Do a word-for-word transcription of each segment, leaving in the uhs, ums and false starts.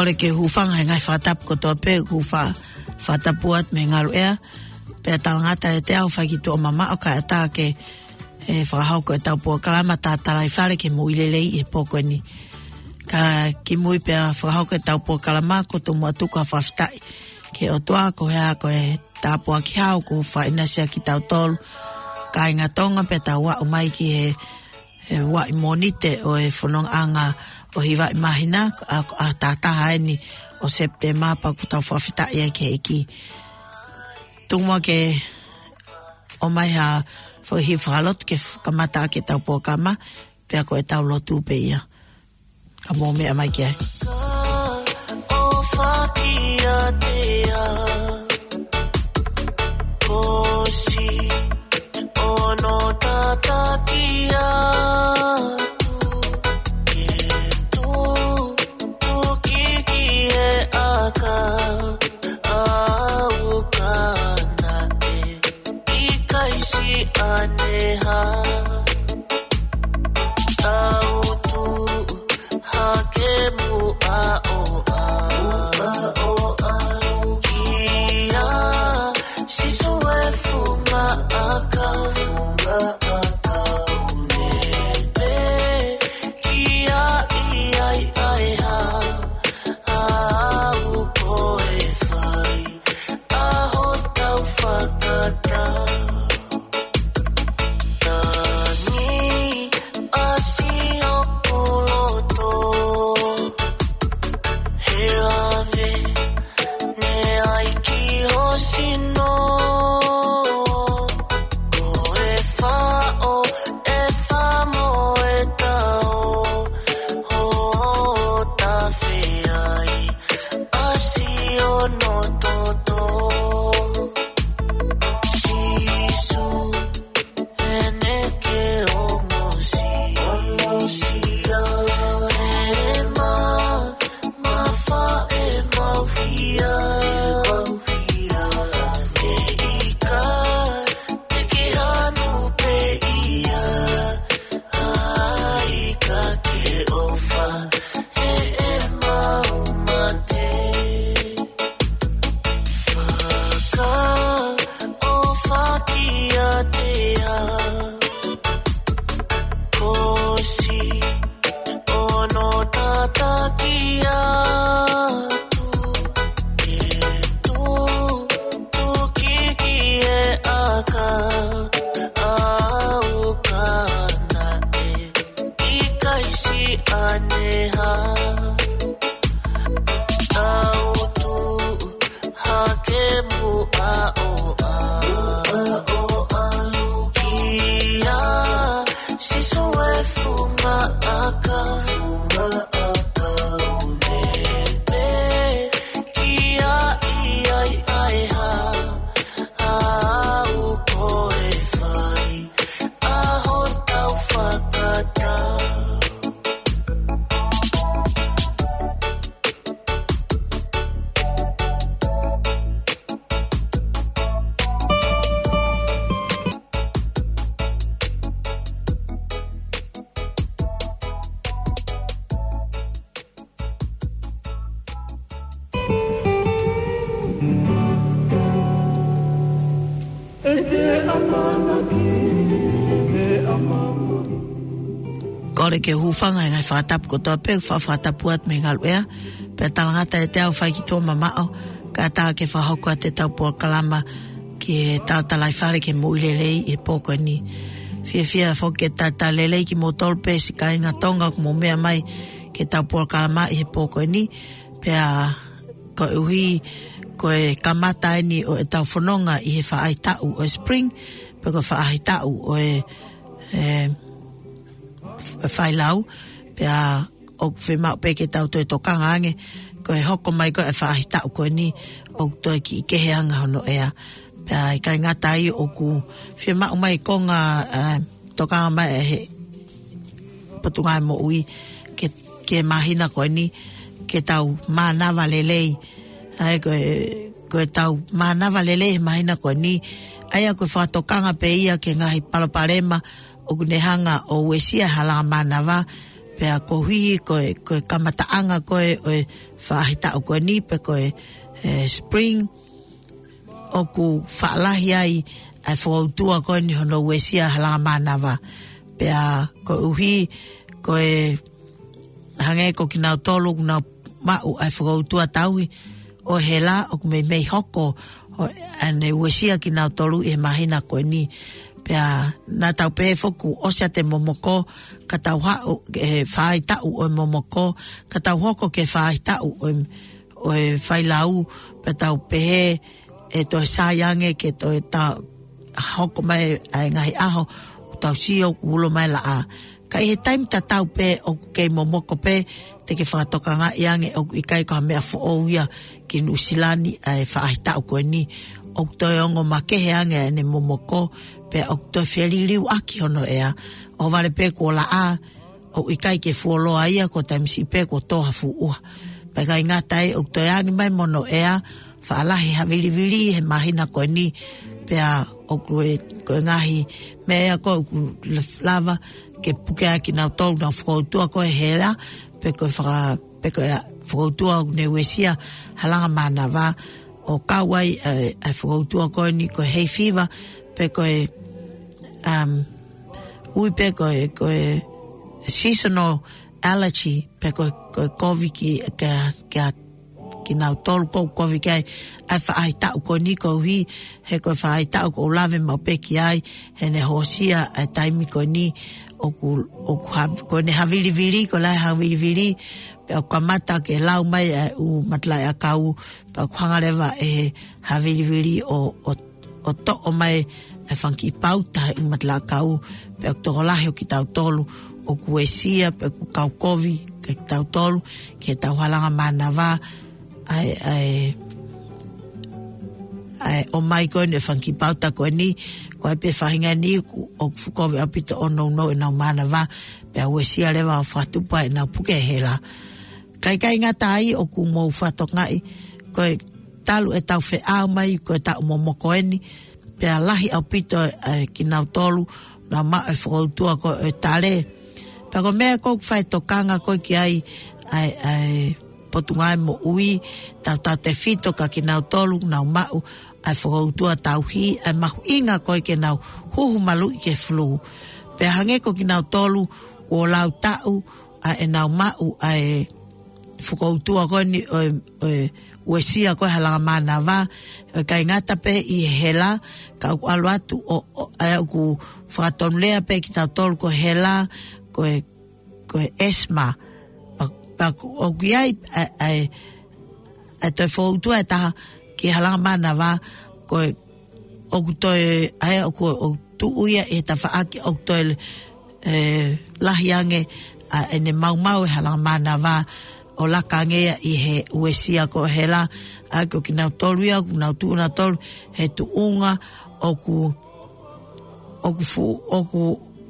Kole ke u hūfanga he ngaahi fakatapu kotoa pē, ʻoku fa-, fakatapu atu mei he ngaluʻea. Pea talangata ʻiate au ʻa e fai ki tuʻa mamaʻo kae ʻatā ke, ʻe, fakahoko ʻetau polokalama Tatalaifale ki he Moʻui Lelei ʻi he pō ko eni. Ka kimui pea fakahoko ʻetau polokalama, ʻoku ou tomuʻa tuku ha fakafetaʻi ki he ʻOtua koeʻuhi ko e tāpuaki hao kuo fakaʻinasi ʻaki kitautolu kāinga Tonga pea tau aʻu mai ki he, he vaʻa Mōnite ʻo e fonongaʻanga ʻo e hiva ʻi māhina, ʻa, ʻa e taha taha eni ʻo Sepitema, pea ʻoku tau fakafetaʻi ai ki he ʻEiki. Tuku muʻa ke ʻomai ha foʻi hiva fakalotu ke f-, kamata ʻaki ʻetau polokalama, pea ko ʻetau lotu pē ia. Ka mou meʻa mai ki ai. ʻOfa kiate au, ko siʻono tataki atu, ke tutuki ki he ʻakau, ʻauka naʻe ʻikai siʻi ʻaneha. Tau tuʻu hake muʻa ʻo ʻalu. Muʻa ʻo ʻalu. Kia Sīsū e funga ʻakau. Funga ʻakau nepe. Kia ʻi ai ʻa e hā. Au ko e fai. ʻA hotau fakatau. Tangi ʻasi ʻoku loto. He lave ne ai ki ho sino. Ko e faʻo, e famo e tao. Ho tafe ai. ʻAsi ʻo no toto. Sīsū, ʻene ke ongosia. E ma, ma fa e mau hia. Mau hia. ʻE ʻikai, te ke hanu pē ia. ʻAi ka ke ʻofa, he ʻe mau mate. Fakaʻofa kiate au, ko siʻono tataki atu, ke tutuki ki he ʻakau, ʻauka naʻe ʻikai siʻi ʻaneha. Tau tuʻu hake muʻa ʻo ʻalu. Muʻa ʻo ʻalu. Kia Sīsū e funga ʻakau. Funga ʻakau nepe. Kia ʻi ai ʻa e hā. Au ko e fai. ʻA hotau fakatau. Kole ke u hūfanga he ngaahi fakatapu kotoa pē, fa-, fakatapu atu mei he ngaluʻea, pea talangata ʻiate au ʻa e fai ki tuʻa mamaʻo, kae ʻatā ke fakahoko atu ʻetau polokalama ki he Tatalaifale ki he Moʻui Lelei ʻi he pō ko eni. Fiefia foki ke talitali lelei kimoutolu pē siʻi kāinga Tonga ʻoku mou meʻa mai ki heʻetau polokalama ʻi he pō ko eni. Pea koeʻuhi ko e kamata eni ʻo ʻetau fononga ʻi he faʻahitaʻu ʻo e spring, pe ko e faʻahitaʻu ʻo e, e, f-, failau, pea ʻoku fiemaʻu pē ke tau toe tokanga ange, ko e hoko mai ko ē ʻa e faʻahitaʻu ko eni, ʻoku toe kiʻi kehe ange hono ʻea. Pea ʻikai ngata ai ʻoku fiemaʻu mai konga, e, tokanga mai ʻe he Potungāue Moʻui ke, ke māhina ko eni, ke tau mānava lelei. ʻA ia ko e, ko ʻetau mānava lelei he māhina ko eni. ʻA ia ko e fakatokanga pē ia ki he ngaahi palopalema ʻoku ne hanga ʻo uesia e hala mānava, pea koeʻuhi ko e, ko e kamataʻanga ko ē ʻo e faʻahitaʻu ko eni pe ko e, e, spring, ʻoku faʻa lahi ai ʻa e fokoutua ko eni hono uesia ʻa e halanga mānava. Pea koeʻuhi ko e hangē ko kinautolu ʻoku nau maʻu ʻa e fokoutua tauhi ʻo e hela, ʻoku meimei hoko ʻo ʻene uesia kinautolu ʻi he māhina ko eni. Pea naʻa tau pehē foki kuo ʻosi ʻa e momoko, ka tau haʻu ki he faʻahitaʻu ʻo e momoko, ka tau hoko ki he faʻahitaʻu ʻo e, ʻo e failau, pea tau pehē ʻe toe sai ange ke toe ta-, hoko mai ʻa e ngaahi ʻaho, ʻo tau sio kuo ulo mai laʻā. Ka ʻi he taimi tatau pē ʻoku kei momoko pē, te ke fakatokangaʻi ange ʻoku ʻikai ko ha meʻa foʻou ia ki Nuʻusila ni ʻa e faʻahitaʻu ko eni. ʻOku toe ongo makehe ange ʻene momoko, pea ʻoku toe feliliuaki hono ʻea. ʻOhovale pē kuo laʻā, ʻoku ʻikai ke fuoloa ia, ko e taimi siʻi pē kuo tō ha fuʻu ʻuha. Pea ʻikai ngata ai, ʻoku toe angi mai mo hono ʻea, faʻa lahi havilivili he māhina ko eni, pea ʻoku ʻi, ko e ngaahi meʻa ia ko ē ʻoku lava ke puke ai kinautolu ʻoku nau fokoutua ko e hela, pe ko e faka-, pe ko e fokoutua ʻoku ne uesia halanga mānava, ʻo kau ai, e, e fokoutua ko eni ko e hay fever, pe ko e, um, ui pē ko e, ko e seasonal allergy, pe ko e, ko e kovi ki, kia, kia kinautolu ʻoku kovi ki ai ʻa e faʻahitaʻu ko eni koeʻuhi, he ko e faʻahitaʻu ʻoku ou lave maʻu pē ki ai, heʻene hoosia ʻa e taimi ko eni ʻoku, ʻoku ha-, ko ʻene havilivili, ko e lahi havilivili, pea ʻoku kamata ke lau mai ʻa e ʻū matalaʻiʻakau, pea ʻoku hanga leva ʻe he havilivili ʻo, ʻo ʻo toʻo mai e fanga kiʻi pauta ʻi he matalaʻiʻakau, pea ʻoku tokolahi ʻo kitautolu ʻoku uesia, pea ʻoku kau kovi kia kitautolu, ki heʻetau halanga mānava, ʻa e, ʻa e, ʻa e ʻomai ko eni e fanga kiʻi pauta ko eni, ko e pē faʻahinga eni ʻoku, ʻoku fuʻu kovi ʻaupito ʻo nounou ʻenau mānava, pea uesia leva ʻo fakatupu ai ʻenau puke hela. Ka ʻikai ngata ai ʻoku mou fakatokangaʻi, ko e talu ʻetau feʻao mai, ko e taʻu momoko eni, pea lahi ʻaupito ʻa e kinautolu, naʻa nau maʻu e fokoutua ko e tale. Pea ko e meʻa ʻoku ou fai tokanga ko ē ki ai, ʻa e, ʻa e Potungāue Moʻui, tautautefito kia kinautolu, naʻa nau maʻu ʻa e fokoutua tauhi, ʻa e mahuʻinga ko ē ke nau huhu maluʻi ki he fulū. Pea hangē ko kinautolu, kuo lau taʻu, ʻa ʻenau maʻu ʻa e fokoutua ko eni ʻo e, ʻo e uesia ko e halanga mānava, ʻo ʻikai ngata pē ʻi he hela, ka ʻoku ʻalu atu ʻo, ʻo, ʻa ia ʻoku fakatonulea pē kitautolu ko e hela, ko e, ko e asthma. Pea, pea ʻoku ʻi ai ʻa e, ʻa e, ʻa e toe fokoutua ʻe taha ki he halanga mānava, ko e ʻoku toe, ʻa ia ʻoku, ʻoku tuʻu ia ʻi he tafaʻaki ʻoku toe, e, lahi ange ʻa ʻene maumau e halanga mānava ʻo laka ange ia ʻi he uesia ko e hela, ʻa ia ko kinautolu ia, ʻoku nau tuʻu nautolu he tuʻunga ʻoku, ʻoku fu-, ʻoku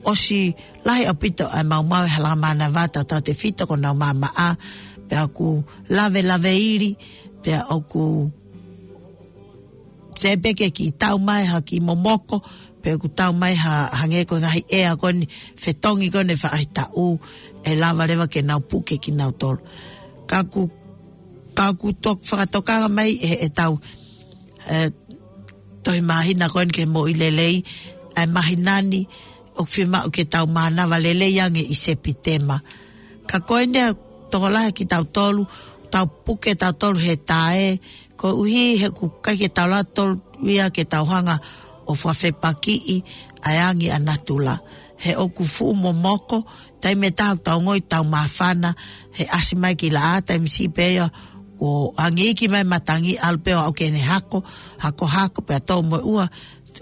ʻosi lahi ʻaupito ʻa e maumau e halanga mānava, tautautefito ko ʻenau maʻamaʻa, pea ʻoku lavelaveili, pea ʻoku teʻeki pē ke kiʻi tau mai ha kiʻi momoko, pe ʻoku tau mai ha, hangē ko e ngaahi ʻea ko eni, fetongi ko eni faʻahitaʻu, ʻe lava leva ke nau puke kinautolu. Ka ʻoku, ka ʻoku tok-, fakatokanga mai ʻe, ʻetau, e, tohi māhina ko eni ki he moʻui lelei, ʻa e māhina ni, ʻoku fiemaʻu ke tau mānava lelei ange ʻi Sepitema. Ka ko eni ʻa e tokolahi kitautolu, tau puke tautolu he tae, koeʻuhi he ʻoku ʻikai ke tau lava tautolu ia ke tau hanga ʻo fakafepakiʻi ʻa e angi ʻa natula. He ʻoku fuʻu momoko, taimi ʻe taha ʻoku tau ongoʻi ʻoku tau māfana, he ʻasi mai ki laʻā, taimi siʻi pē ia, kuo angi iiki mai matangi, ʻalu pē ʻo aʻu ki heʻene hako, hako, hako, pea tō mo e ʻuha.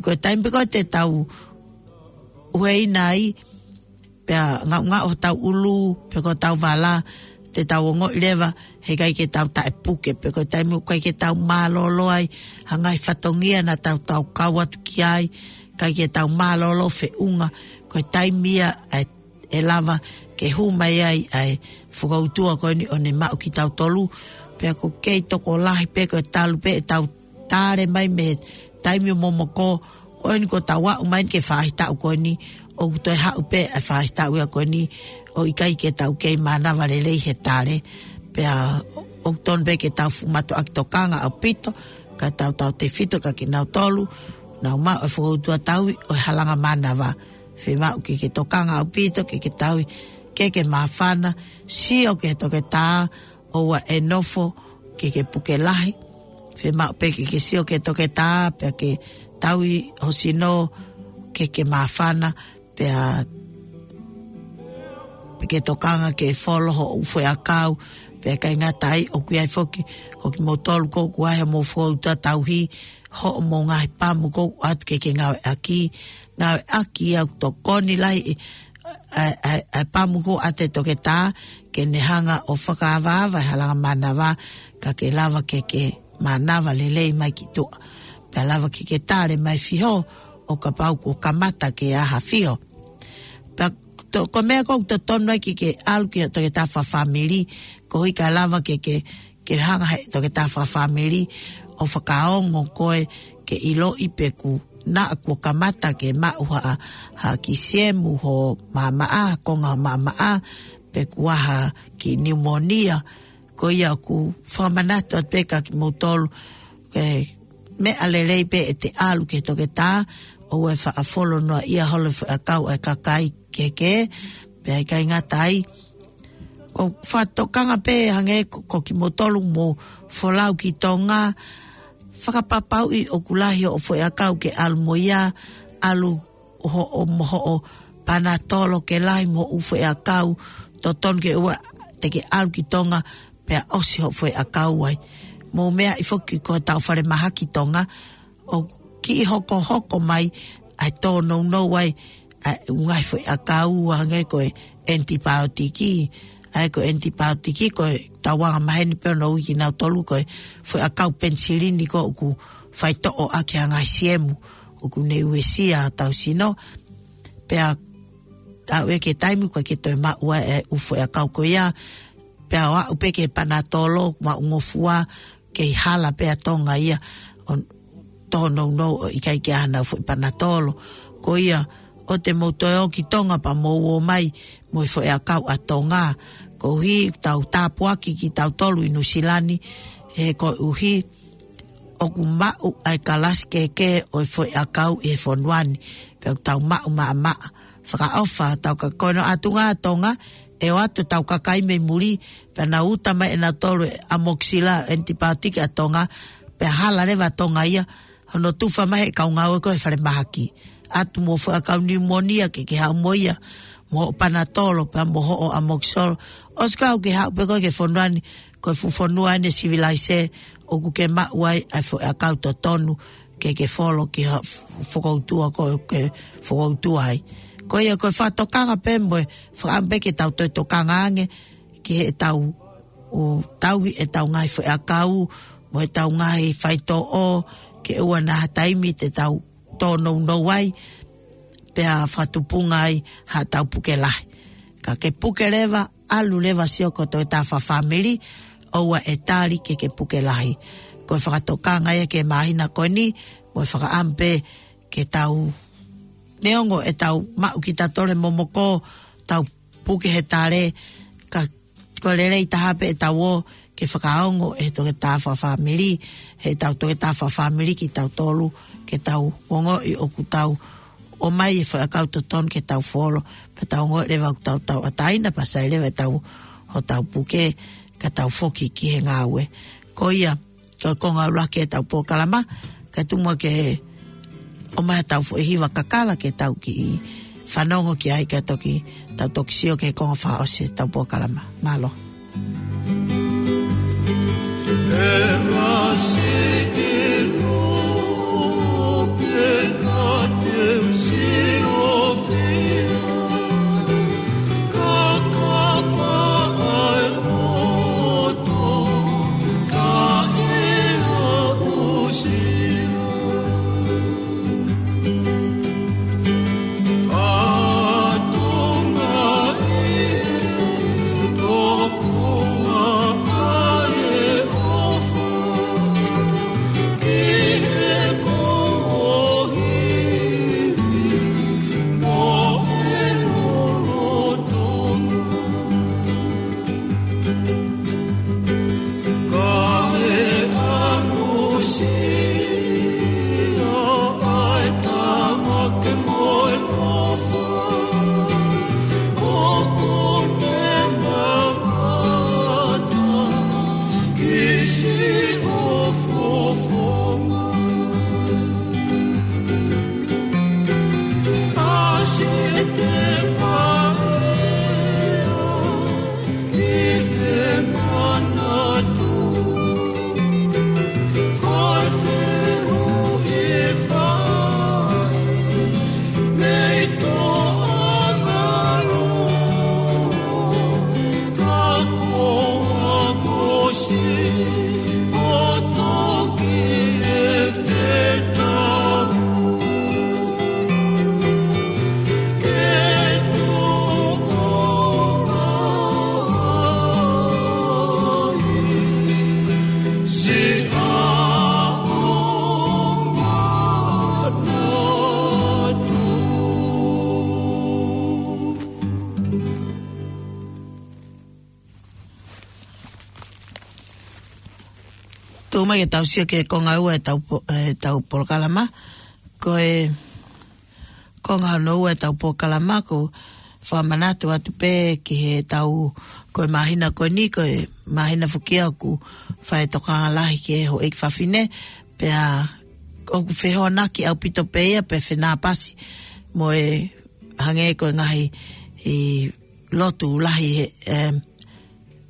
Ko e taimi pē ko ē te tau ueina ai, pea ngaʻungaʻu hotau ʻulu, pe ko hotau vala, te tau ongoʻi leva, he ʻikai ke tau taʻepuke, pe ko e taimi ʻoku ʻikai ke tau mālōlō ai, ha ngaahi fatongia naʻa tau, tau kau atu ki ai, ʻikai ke tau mālōlō feʻunga, ko e taimi ia ʻe, ʻe lava ke hū mai ai ʻa e fokoutua ko eni ʻo ne maʻu kitautolu, pea ʻoku kei tokolahi pē ko e talu pē ʻetau tale mai mei he taimi ʻo momoko, ko eni kuo tau aʻu mai ki he faʻahitaʻu ko eni, ʻoku toe haʻu pē ʻa e faʻahitaʻu ia ko eni ʻo ʻikai ke tau kei mānava lelei he tale. Pea ʻoku tonu pē ke tau fuʻu mātuʻaki tokanga ʻaupito, kae tautautefito kia kinautolu ʻoku nau maʻu e fokoutua tauhi ʻo e halanga mānava. Fiemaʻu ke ke tokanga ʻaupito, ke ke tauhi, ke ke māfana, sio ki he toketā, ʻoua ʻe nofo ke ke puke lahi. Fiemaʻu pē ke ke sio ki he toketā, pea ke tauhi ho sino ke ke māfana, pea, pea ke tokanga ke folo hoʻo ʻū foʻi ʻakau, pea ʻikai ngata ai, ʻoku ʻi ai foki, ko kimoutolu ko ē ʻoku ʻi ai hoʻomou fokoutua tauhi, hoʻomou ngaahi pamu ko ē ʻoku ʻoatu ke ke ngāueʻaki, ngāueʻaki ia ʻoku tokoni lahi ʻa e, ʻa e, ʻa e pamu ko ē ʻa e toketā, ke ne hanga ʻo fakaavaava e halanga mānava, kae ke lava ke ke mānava lelei mai ki tuʻa. Pea lava ke ke tale mai fiho, ʻo kapau kuo kamata ke ʻi ai ha fiho. Pea to-, ko e meʻa ko ē ʻoku totonu ai ke ke ʻalu ki he toketā fakafāmili, koeʻuhi kae lava ke ke ke hanga he toketā fakafāmili ʻo fakaongo koe ke ʻiloʻi pe kuo naʻa kuo kamata ke maʻu ha, ha kiʻi siemu ho maʻamaʻa, ha konga ho maʻamaʻa, pe kuo ʻi ai ha kiʻi niumonia. Ko ia ʻoku fakamanatu atu pē kia kimoutolu, ke meʻa lelei pē ʻete ʻalu ki he toketā, ʻoua ʻe faʻa folo noaʻia holo e foʻi ʻakau ʻa e kakai kehekehe, pea ʻikai ngata ai, ʻoku fakatokanga pē hangē ko, ko kimoutolu ʻoku mou folau ki Tonga, fakapapauʻi ʻoku lahi hoʻo foʻi ʻakau ke ʻalu mo ia, ʻalu hoʻo, mo hoʻo panatolo ke lahi mo e ʻū foʻi ʻakau totonu ke ʻoua te ke ʻalu ki Tonga pea ʻosi hoʻo foʻi ʻakau ai. Mou meaʻi foki ko ʻetau falemahaki Tonga, ʻoku kiʻi hokohoko mai ʻa e tōnounou ai ʻa e ʻū ngaahi foʻi ʻakau hangē ko e ʻenitipaotiki. ʻA ia ko e ʻenitipaotiki ko ʻetau angamaheni pē ʻo ʻiloʻi kinautolu ko e foʻi ʻakau penisilini ko ē ʻoku faitoʻo ʻaki ʻa e ngaahi siemu ʻoku ne uesia hotau sino. Pea aʻu ia ki he taimi ʻoku ʻikai ke toe maʻu ai e ʻū foʻi ʻakau ko ia. Pea ʻo aʻu pē ki he panatolo, maʻungofua, kei hala pē ʻa Tonga ia ʻo tōnounou ʻo ʻikai ke ʻi ai haʻanau foʻi panatolo. Ko ia, ʻoua te mou toe ō ki Tonga pea mou ō mai mo e foʻi ʻakau ʻa Tonga. Koeʻuhi ʻoku tau tāpuaki kitautolu ʻi Nuʻusila ni, he koeʻuhi ʻoku maʻu ʻa e kalasi kehekehe ʻo e foʻi ʻakau ʻi he fonua ni, pea ʻoku tau maʻu maʻamaʻa. Fakaʻofa, tau ka-, ko hono ʻatunga ʻa Tonga, ʻe ʻoatu ʻetau kakai mei muli, pea nau uta mai ʻenautolu e ʻamokisilini ʻenitipaotiki ʻa Tonga, pea hala leva ʻa Tonga ia, hono tufa mai he kau ngāue ko ē he falemahaki. ʻAtu mo e foʻi ʻakau niumonia ke ke haʻu mo ia, mo hoʻo panatolo, pea mo hoʻo ʻamokisolo. ʻOsi kau ke haʻu pē koe ki he fonua ni, ko e fuʻu fonua eni sivilaise, ʻoku ke maʻu ai ʻa e foʻi ʻakau totonu, ke ke folo ki ha f-, fokoutua ko ē ʻoku ke fokoutua ai. Ko ia ko e fakatokanga pē mo e fakaʻamu pē ke tau toe tokanga ange ki heʻetau, ʻū, tauhi ʻetau ngaahi foʻi ʻakau, mo ʻetau ngaahi faitoʻo, ke ʻoua naʻa ha taimi te tau tōnounou ai, pea fakatupunga ai haʻatau puke lahi. Ka ke puke leva, ʻalu leva sio ki he toketā fakafāmili, ʻoua ʻe tali ke ke puke lahi. Ko e fakatokanga ia ki he māhina ko eni, mo e fakaʻamu pē ke tau, neongo ʻetau maʻu kitautolu e momoko, tau puke he tale, ka ko e lelei taha pē ʻetau ō ke fakaongo e toketā fakafāmili, heʻetau toketā fakafāmili kitautolu, ke tau ongoʻi ʻoku tau ʻomai e foʻi ʻakau totonu ke tau folo, pea tau ongoʻi leva ʻoku tau tauʻatāina, pea sai leva ʻetau, hotau puke, ka tau foki ki he ngāue. Ko ia, ko e konga ʻuluaki ʻetau polokalama, kae tuku muʻa ke ʻomai haʻatau foʻi hiva kakala ke tau kiʻi fanongo ki ai kae toki, tau toki sio ki he konga fakaʻosi ʻetau polokalama. Mālō. Mai ke tau sio ki he konga ua ʻetau po-, ʻetau polokalama. Ko e konga hono ua ʻetau polokalama, ʻoku fakamanatu atu pē ki heʻetau, ko e māhina ko eni, ko e māhina foki ia ʻoku fai e tokanga lahi ki he houʻeiki fafine, pea ʻoku fehoanaki ʻaupito pē ia, pea fenāpasi mo e hangē ko e ngaahi ʻi lotu lahi he, em,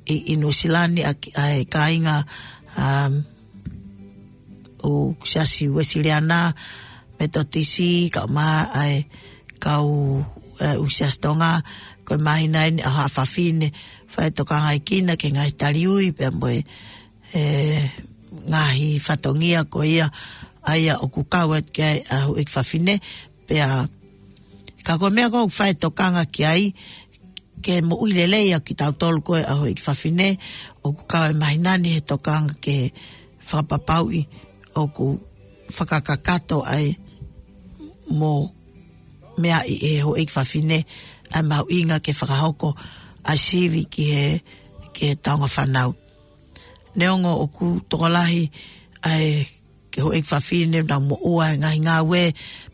ʻi, ʻi Nuʻusila ni ʻa ki-, ʻa e kāinga, um, ʻo Siasi Uēsiliana, Metotisi, kae ʻumaʻā e kau, eh, ʻo Siasi Tonga, ko e māhina eni ʻa e fafine, fai e tokangaʻi kinaua ki he ngaahi taliui, pea mo e, eh, ngaahi fatongia ko ia, ʻa ia ʻoku kau atu ki ai ʻa e houʻeiki fafine, pea ka ko e meʻa ko ē ʻoku fai e tokanga ki ai, ke moʻui lelei ʻa kitautolu ko ē ʻa e houʻeiki fafine, ʻoku kau e māhina ni he tokanga ke fakapapauʻi ʻoku fakakakato ai mo meaʻi ʻe he houʻeiki fafine ʻa e mahuʻinga ke fakahoko ʻa e sivi ki he, ki he taunga fānau. Neongo ʻoku tokolahi ʻa e ke houʻeiki fafine ʻoku nau moʻua he ngaahi ngāue,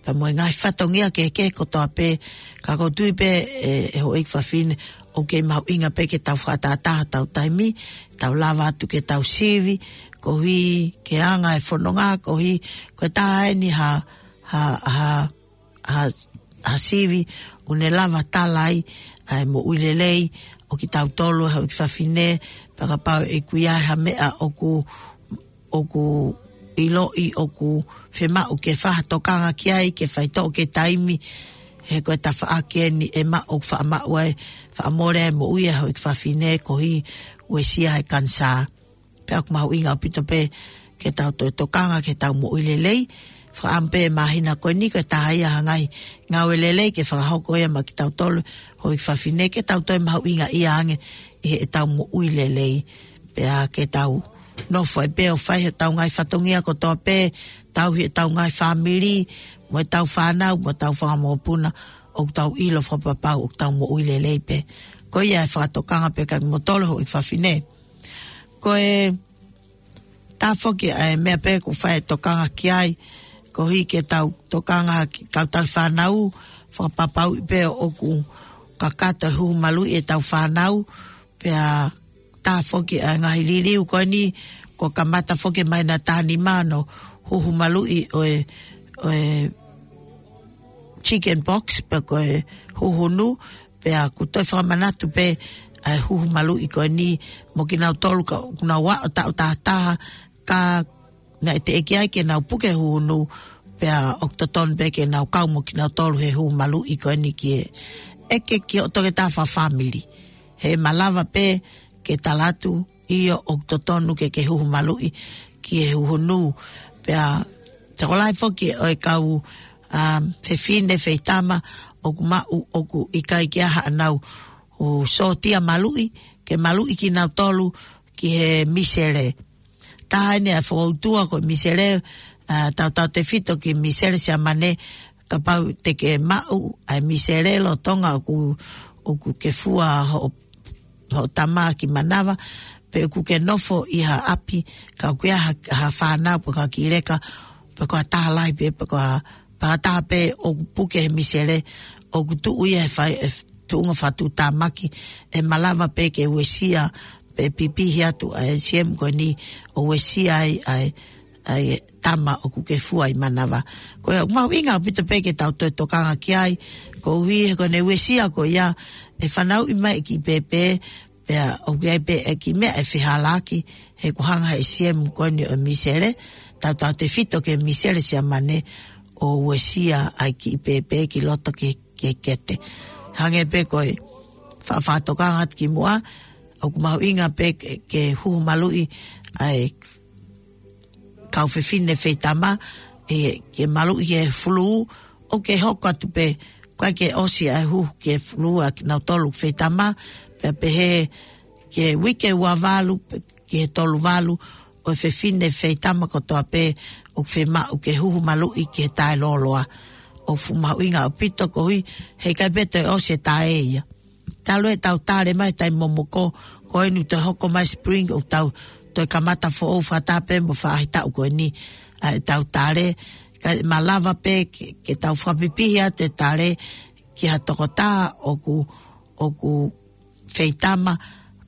pea mo e ngaahi fatongia kehekehe kotoa pē, ka ʻoku ou tui pē ʻe, ʻe houʻeiki fafine ʻoku kei mahuʻinga pē ke tau fakatātā hotau taimi, tau lava atu ke tau sivi, koeʻuhi ke anga e fononga, koeʻuhi ko e taha eni ha, ha, ha, ha, ha sivi ʻoku ne lava tala ai ʻa e moʻui lelei ʻo kitautolu houʻeiki fafine, pea kapau ʻe ʻi ai ha meʻa ʻoku ʻoku ʻiloʻi ʻoku fiemaʻu ke fai ha tokanga ki ai, ke faitoʻo ki he taimi, he ko e tafaʻaki eni ʻe maʻu ʻoku faʻa maʻu ai, faʻa mole ai moʻui ʻa e houʻeiki fafine koeʻuhi uesia he kanisā. Pea ʻoku mahuʻinga ʻaupito pē ke tau toe tokanga, ke tau moʻui lelei, fakaʻamu pē māhina ko eni ko e taha ia ha ngaahi ngāue lelei ke fakahoko ia maʻa kitautolu houʻeiki fafine, ke tau toe mahuʻingaʻia ange ʻi heʻetau moʻui lelei. Pea ke tau nofo ai pē ʻo fai heʻetau ngaahi fatongia kotoa pē, tauhi ʻetau ngaahi fāmili, mo ʻetau fānau, mo ʻetau fanga mokopuna, ʻoku tau ʻilo fakapapau ʻoku tau moʻui lelei pē. Ko ia e fakatokanga pē kia kimoutolu houʻeiki fafine. Ko e taha foki ʻa e meʻa pē ʻoku fai e tokanga ki ai, koeʻuhi ke tau tokanga ki heʻetau tauhi fānau, fakapapauʻi pē ʻoku kakato e huhu maluʻi ʻetau fānau, pea taha foki ʻa e ngaahi liliu ko eni, kuo kamata foki mai ʻi he taimi ni hono huhu maluʻi ʻo e, ʻo e chicken pox, pe ko e huhunu, pea ʻoku toe fakamanatu pē ʻa e huhu maluʻi ko eni mo kinautolu ka, ʻoku nau aʻu taʻu taha taha, ka naʻe teʻeki ai ke nau puke huhunu, pea ʻoku totonu pē ke nau kau mo kinautolu he huhu maluʻi ko eni ke ʻeke ki hoʻo toketā fakafāmili. He ʻe malava pē ke tala atu, ʻio ʻoku totonu ke ke huhu maluʻi ki he huhunu. Pea tokolahi foki ʻo e kau, um, fefine feitama ʻoku maʻu ʻoku ʻikai ke ʻi ai haʻanau ʻo sōtia maluʻi, ke maluʻi kinautolu ki he misele. Taha eni ʻa e fokoutua ko e misele, ʻa, tautautefito ki he misele Siamane, kapau te ke maʻu ʻa e misele lolotonga ʻoku, ʻoku ke fua hoʻo, hoʻo tama ki manava, pe ʻoku ke nofo ʻi ha ʻapi, ka ʻoku ʻi ai ha, ha fānau, pe ko ha kiʻi leka, pe ko ha taha lahi pē, pe ko ha, pe ko ha taha pē ʻoku puke he misele, ʻoku tuʻu ia he fai, he tuʻunga fakatuʻutāmaki, ʻe malava pē ke uesia, pe pipihi atu ʻa e siemu ko eni ʻo uesia ai, ʻa e, ʻa e tama ʻoku ke fua ʻi manava. Ko ia ʻoku mahuʻinga ʻaupito pē ke tau toe tokanga ki ai, koeʻuhi he ko ʻene uesia ko ia ʻe fanauʻi mai e kiʻi pēpē, pea ʻoku ʻi ai pē e kiʻi meʻa ʻe fehālaaki, he ʻoku hanga he siemu ko eni ʻo e misele, tautautefito ki he misele Siamane ʻo uesia ʻa e kiʻi pēpē ki loto ki he ki he kete. Hangē pē ko e fa-, fakatokanga atu ki muʻa, ʻoku mahuʻinga pē ke, ke huhu maluʻi ʻa e kau fefine feitama, ʻe, ke maluʻi ki he fulū, ʻoku ke hoko atu pē, ʻoku ʻikai ke ʻosi ʻa e huhu ki he fulū ʻa kinautolu feitama, pea pehē ki he uike ua valu, pe ki he tolu valu, ʻo e fefine feitama kotoa pē ʻoku fiemaʻu ke huhu maluʻi ki he taʻelōloa. ʻOku fuʻu mahuʻinga ʻaupito koeʻuhi, he ʻikai pē toe ʻosi e taʻe ia. Talu ʻetau tale mai he taimi momoko, ko eni toe hoko mai spring ʻoku tau toe kamata foʻou fakataha pē mo e faʻahitaʻu ko eni ʻa ʻetau tale, kae malava pē ke, ke tau fakapipihi atu e tale ki ha tokotaha ʻoku, ʻoku feitama,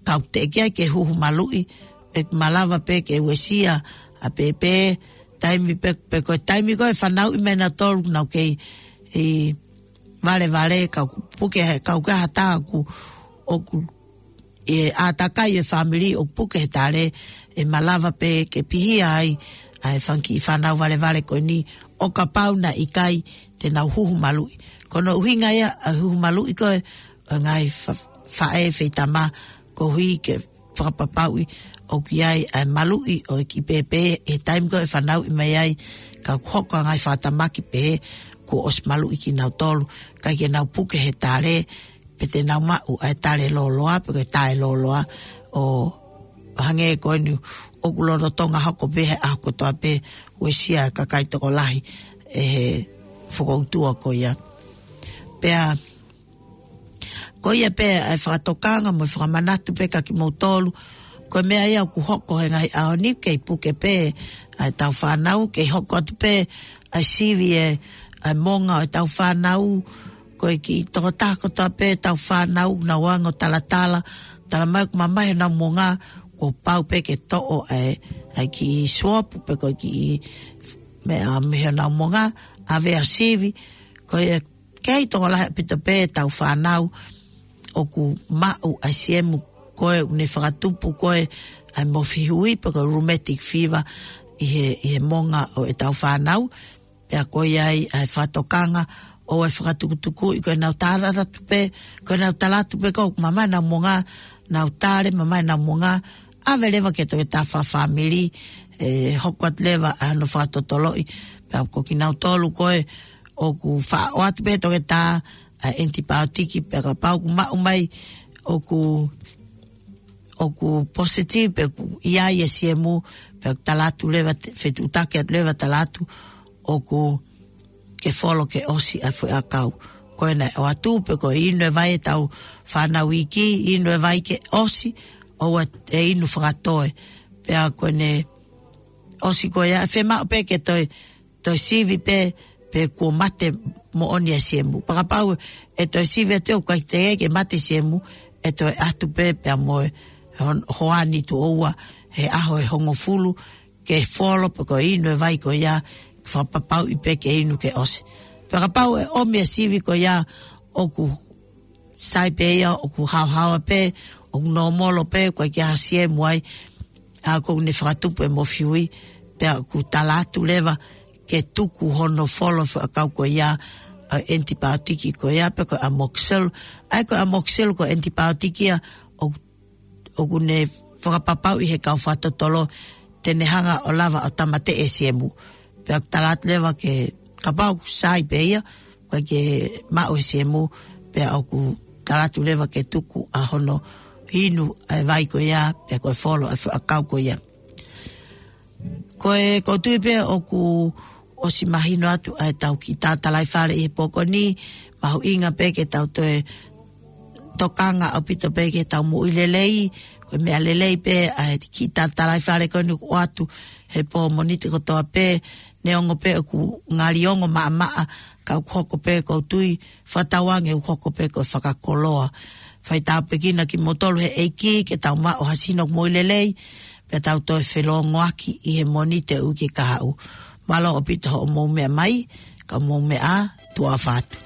kau teʻeki ai ke huhu maluʻi, ʻe malava pē ke uesia ʻa pēpē, taimi pē, pe ko e taimi ko ē fanauʻi mai nautolu nau kei ʻi valevale, kau puke he, kau ka hata ʻoku, ʻoku ʻi he ʻātakai e fāmili ʻoku puke he tale, ʻe malava pē ke pihia ai ʻa e fanga kiʻi fānau valevale ko eni ʻo kapau naʻe ʻikai te nau huhu maluʻi. Ko hono ʻuhinga ia ʻa e huhu maluʻi ko ē ʻo e ngaahi fa-, faʻē feitama koeʻuhi ke fakapapauʻi ʻoku ʻi ai ʻa e maluʻi ʻo e kiʻi pēpē he taimi ko ē ʻe fanauʻi mai ai, ka hoko ʻa e ngaahi fakatamaki pē kuo ʻosi maluʻi kinautolu, ʻikai ke nau puke he tale, pe te nau maʻu ʻa e tale lōloa, pe ko e taʻelōloa, ʻo hangē ko eni ʻoku lolotonga hoko pē he ʻaho kotoa pē, uesia e kakai tokolahi ʻe he fokoutua ko ia. Pea, ko ia pē ʻa e fakatokanga mo e fakamanatu pē kia kimoutolu, ko e meʻa ia ʻoku hoko he ngaahi ʻaho ni, kei puke pē ʻa ʻetau fānau, kei hoko atu pē ʻa e sivi e, ʻa e monga ʻo ʻetau fānau, ko e kiʻi tokotaha kotoa pē ʻetau fānau, nau anga ʻo talatala, tala mai ʻoku mamahi honau monga, kuo pau pē ke toʻo ʻa e, ʻa e kiʻi suopu pe ko e kiʻi meʻa mei honau monga, ʻave ʻo sivi, ko e kei tokolahi ʻaupito pē ʻetau fānau ʻoku maʻu ʻa e siemu ko ē ʻoku ne fakatupu ko ē ʻa e mofihui pe ko e rheumatic fever ʻi he, ʻi he monga ʻo ʻetau fānau. Pea ko ia ai ʻa e fakatokanga ʻo e fakatukutukuʻi ko ʻenau tala atu pē, ko ʻenau tala atu pē ko ē ʻoku mamahi honau monga, nau tale mamahi honau monga, ʻave leva ki he toketā fakafāmili, ʻe hoko atu leva ʻa hono fakatotoloʻi, pea ko kinautolu ko ē ʻoku faʻa ʻoatu pē ʻe he toketā ʻa e ʻenitipaotiki, pea kapau ʻoku maʻu mai ʻoku, ʻoku positive pe ʻoku ʻi ai e siemu, pea ʻoku tala atu leva, te-, fetuʻutaki atu leva tala atu ʻoku ke folo ke ʻosi ʻa e foʻi ʻakau. Ko ʻene ʻoatu pe ko e inu e vai ʻetau fānau iiki, inu e vai ke ʻosi, ʻoua ʻe inu fakatoe. Pea ko ʻene ʻosi ko ia, ʻe fiemaʻu pē ke toe, toe sivi pē, pe kuo mate moʻoni ʻa e siemu. Pea kapau ʻe toe sivi atu ʻoku ʻikai teʻeki ke mate siemu, ʻe toe ʻatu pē pea mo e hon-, hoani tuʻo ua he ʻaho ʻe hongofulu, ke folo pe ko e inu e vai ko ia, fakapapauʻi pē ke inu ke ʻosi. Pea kapau ʻe ʻomi e sivi ko ia ʻoku sai pē ia, ʻoku haohaoa pē, ʻoku nōmolo pē, ʻoku ʻikai ke ʻasi ʻe muʻa ai, ʻa ʻoku ne fakatupu e mofihui, pea ʻoku tala atu leva ke tuku hono folo e foʻi ʻakau ko ia, ʻa e ʻenitipaotiki ko ia, pe ko e amoxil. ʻA e ko e amoxil ko e ʻenitipaotiki ia, ʻoku ʻoku ne fakapapauʻi he kau fakatotolo te ne hanga ʻo lava ʻo tāmateʻi e siemu. Pea ʻoku tala atu leva ke, kapau ʻoku sai pē ia, ʻoku ʻikai ke maʻu e siemu, pea ʻoku tala atu leva ke tuku ʻa hono inu ʻa e vai ko ia, pea ko e folo ʻa e foʻi ʻakau ko ia. Ko e, ʻoku ou tui pē ʻoku ʻosi mahino atu ʻa ʻetau kiʻi tātalai fale ʻi he pō ko eni, mahuʻinga pē ke tau toe tokanga ʻaupito pē ki heʻetau moʻui lelei, ko e meʻa lelei pē ʻa e kiʻi tātalai fale ko eni ʻoku ʻoatu he pō Mōnite kotoa pē, neongo pē ʻoku ngali ongo maʻamaʻa, ka ʻoku hoko pē ʻoku ou tui, fakatauange ʻoku hoko pē ko e fakakoloa. Fai tāpuekina kimoutolu he ʻEiki, ke tau maʻu ha sino moʻui lelei, pea tau toe felōngoaki ʻi he Mōnite ʻo e uike kahaʻu. Mālō ʻaupito hoʻomou meʻa mai, ka mou meʻa ā, tuʻa ʻofa atu.